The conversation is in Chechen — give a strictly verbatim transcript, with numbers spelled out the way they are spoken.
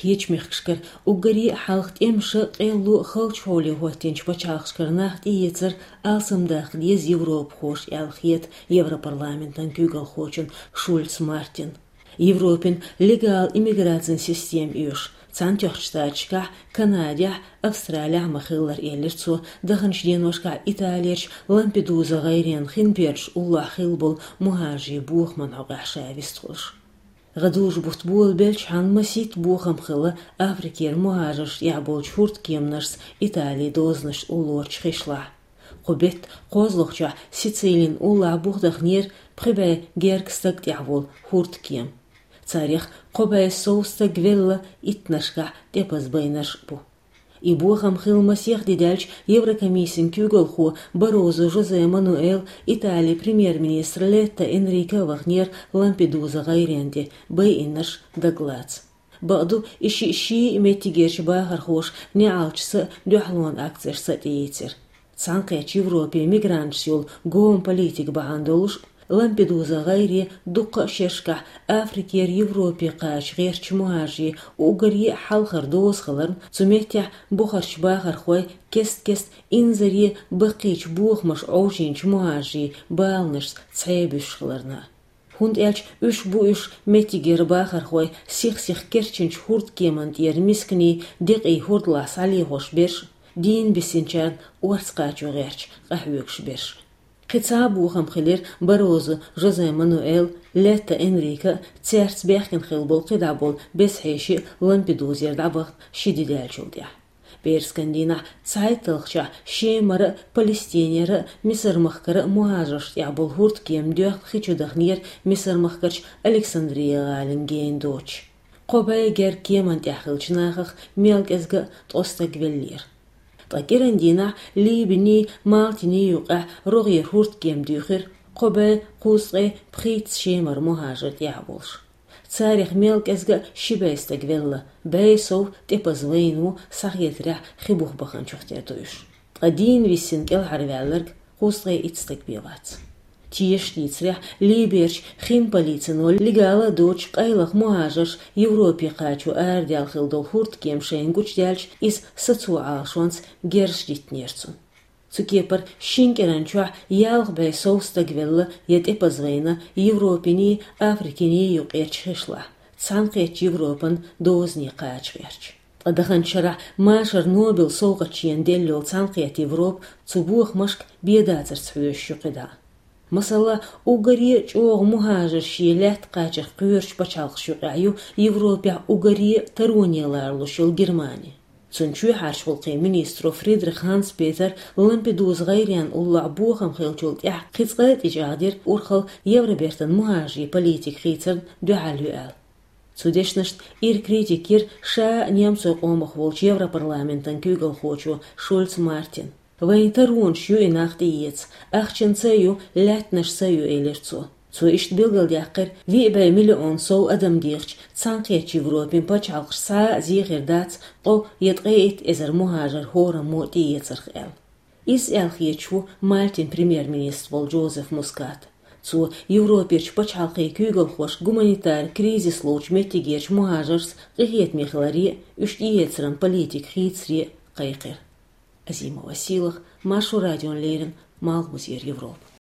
Кхечу мехкашкара уггаре а хьалха тӀемаша, къелло халчу хьоле хӀоттийначу пачхьалкхашкара нах тӀеэцар алсамдаккха деза европахоша аьлла хета Европарламентан куьйгалхочун Шульц Мартин. Европин легал иммиграцин система оьшу, Цхьаьнатоьхначу Штаташкахь, Канадехь, Австралехь ма-хиллара, элира цо, даханчу деношкахь Италерчу Лампедуза гӀайренан хин бердаш уллохь хилла болу мухӀажарийн бохаман хьокъехь ша вистхуьлуш. ГӀадужу бутт болабелчхьана масийтта бохам хилла Африкера мухӀажаршна тӀехь болчу хӀурдкеманашца Италин дозанаш уллорчу хишлахь. Кху беттан кхозлагӀчохь Сицилин уллохь бух дахнера пхи бӀе гергга стаг тӀехь волу хӀурдкема. Царех кхо бӀе сов стаг велла, иттаннашкахь тӀепаза байнарш а бу. И бохам хилла масех де даьлча Еврокомиссин куьйгалхо Баррозу Жозе Мануэл, Италин премьер-министр Летта Энрике а вахнера Лампедуза гӀайрен тӀе, байинарш дагалаца. Бакъду, и шиъ ший а меттигерчу бахархоша неӀалташца а, дуьхьалонан акцешца а тӀеийцира. Цхьаьнакхеттачу Европин мигранташца йолу гома политика бахьана долуш, Лампедуза гӀайре дуккха а шерашкахь Африкера Европе кхача гӀертачу мухӀажарийн уггаре а хьалхара доза хиларна, цу меттехь бухарчу бахархойн кест-кеста инзаре баккхийчу бохамаша Ӏовжийначу мухӀажарийн баланашца цхьаъ буьсуш хиларна. ХӀунда аьлча уьш бу уьш меттигера бахархой сих-сиха керчинчу хӀурдкеман тӀера мисканийн декъий хӀордалахь схьалехош берш, дийна бисинчарна орца кхачо гӀерташ къахьоьгуш берш. Кхин цхьа а бохам хилира Баррозу Жозе Мануэл, Летта Энрике а, цаьрца баьхкина хилла болу кхидӀа болу беза хьеший а Лампедузера дӀабахна ши де даьллачул тӀаьхьа. ПӀераскан дийнахь цхьайтталгӀачохь Шемара а, Палестинера а, Мисар-махкара а мухӀажаршна тӀехь болу хӀурдкема доьхна хи чу дахнера Мисар-махкарчу Александрия гӀалин гена доцуш. Кхо бӀе гергга кеман тӀехь хиллачу нахах мел кӀезга а ткъа стаг веллера. Ткъа кӀиран дийнахь Либиний, Малтиний юкъахь рогӀера хӀурдкема дуьйхира, кхо бӀе кхузткъе пхийтта Шемара мухӀажар тӀехь а волуш. Царех мел кӀезга а ши бӀе стаг велла, бӀе сов тӀепаза вайна ву, схьахетарехь хи бух баханчух тера ду уьш. Ткъа дийна виссина кӀелхьарваьлларг кхузткъе итт стаг бен вац. Тешаш дийцарехь, Либерчу хин полицино легала а доцуш къайлаха мухӀажарш Европе кхачо арадаьлла хилла долу хӀурдкема шайна гучудаьлча, иза сацо Ӏалашонца герзаш диттинера цунна. Цу кепара шина кӀиран чохь ялх бӀе сов стаг велла я тӀепаза вайна Европиний, Африкиний юкъерчу хишлахь, Цхьаьнакхеттачу Европан дозане кхача гӀерташ. Ткъа даханчу шарахь машар Нобел совгӀат шена делла йолу Цхьаьнакхетта Европа цу бохамашка бен дацарца хьоьжуш ю кхидӀа. Масала, уггаре а чӀогӀа мухӀажарш шен лаьтта кхачарх кхоьручу пачхьалкхашна юкъахь ю Европехь уггаре а тароне ларалуш йолу Германи. Цуьнан чоьхьарчу гӀуллакхийн министро Фридрих Ханс-Петера Лампедуза гӀайренан уллохь бохам хиллачул тӀаьхьа кхин цкъа а тӀечӀагӀдира урхалла Евробертан мухӀажарийн политика хийцарна дуьхьал ю аьлла. Цу дешнашна ира критика йира ша а немцойн къомах волчу Европарламентан куьйгалхочо Шульц Мартина. «Вайн таронаш ю и нах тӀеэца, ахчанца а ю, лаьттанашца а ю», — элира цо. Цо иштта билгалдаьккхира, виъ бӀе миллион сов адам дехачу Цхьаьнакхеттачу Европин пачхьалкхаш схьа а зехир дац ткъо я ткъе итт эзар мухӀажар хӀораммо тӀеэцарх аьлла. Изза аьлла хеташ ву Мальтин премьер-министр волу Джозеф Мускат. Цо Европерчу пачхьалкхийн куьйгалхошка гуманитар кризис лоцучу меттигерчу мухӀажаршца къинхетаме хиларе а, уьш тӀеэцаран политика хийцаре а кхайкхира. Азима Василах, Маршо радиона леррина, Малхбузера Европа.